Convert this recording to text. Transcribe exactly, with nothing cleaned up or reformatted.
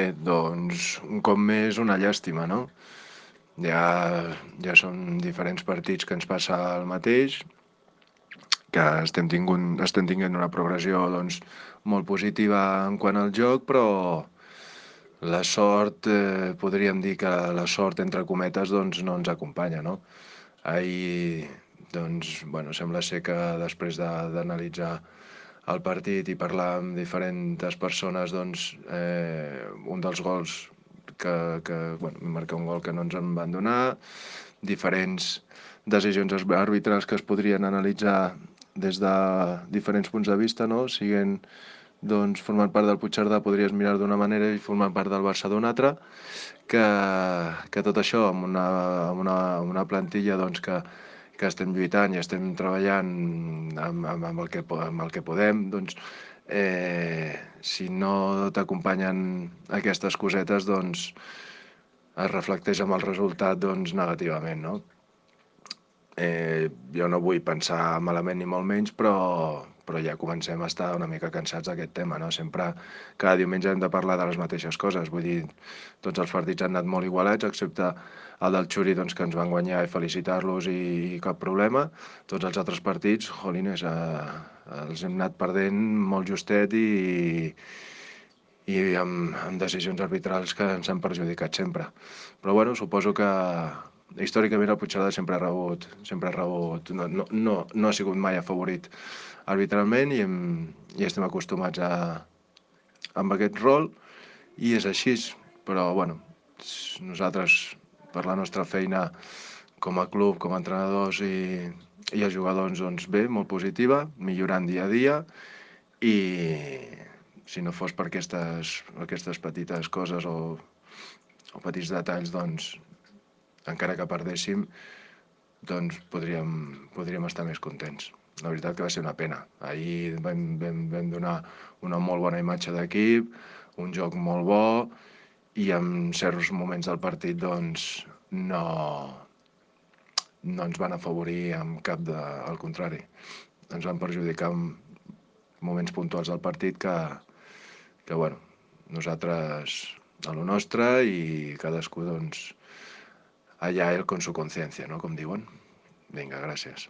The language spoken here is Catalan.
Bé, doncs, un cop més, una llàstima, no? Ja, ja són diferents partits que ens passa el mateix, que estem, tingunt, estem tinguent una progressió doncs, molt positiva en quant al joc, però la sort, eh, podríem dir que la sort, entre cometes, doncs, no ens acompanya, no? Ahir, doncs, bueno, sembla ser que després d'analitzar el partit i parlar amb diferents persones, doncs, eh, un dels gols que, que bueno, marcar un gol que no ens en van donar, diferents decisions arbitrals que es podrien analitzar des de diferents punts de vista, no? Siguent, doncs, formant part del Puigcerdà podries mirar d'una manera i formant part del Barça d'una altra, que, que tot això amb una, amb una, amb una plantilla doncs, que, que estem lluitant i estem treballant amb, amb, amb, el, que, amb el que podem, doncs, eh, si no t'acompanyen aquestes cosetes, doncs es reflecteix amb el resultat doncs, negativament, no? Eh, jo no vull pensar malament ni molt menys, però, però ja comencem a estar una mica cansats d'aquest tema, no? Sempre, cada diumenge hem de parlar de les mateixes coses, vull dir, tots els partits han anat molt igualats, excepte el del Xuri, doncs, que ens van guanyar i felicitar-los i, i cap problema. Tots els altres partits, jolines, eh, els hem anat perdent molt justet i, i amb, amb decisions arbitrals que ens han perjudicat sempre. Però bueno, suposo que històricament el Puigcerdà sempre ha rebut, sempre ha rebut, no, no, no, no ha sigut mai afavorit arbitralment i, hem, i estem acostumats a, amb aquest rol i és així, però bueno, nosaltres per la nostra feina com a club, com a entrenadors i, i els jugadors, doncs bé, molt positiva, millorant dia a dia i si no fos per aquestes, aquestes petites coses o, o petits detalls, doncs encara que perdéssim, doncs podríem, podríem estar més contents. La veritat que va ser una pena. Ahir vam, vam, vam donar una molt bona imatge d'equip, un joc molt bo i en certs moments del partit doncs no, no ens van afavorir amb cap de... al contrari. Ens van perjudicar en moments puntuals del partit que, que bueno, nosaltres a lo nostre i cadascú doncs allà ell con su conciencia, no? Com diuen. Vinga, gràcies.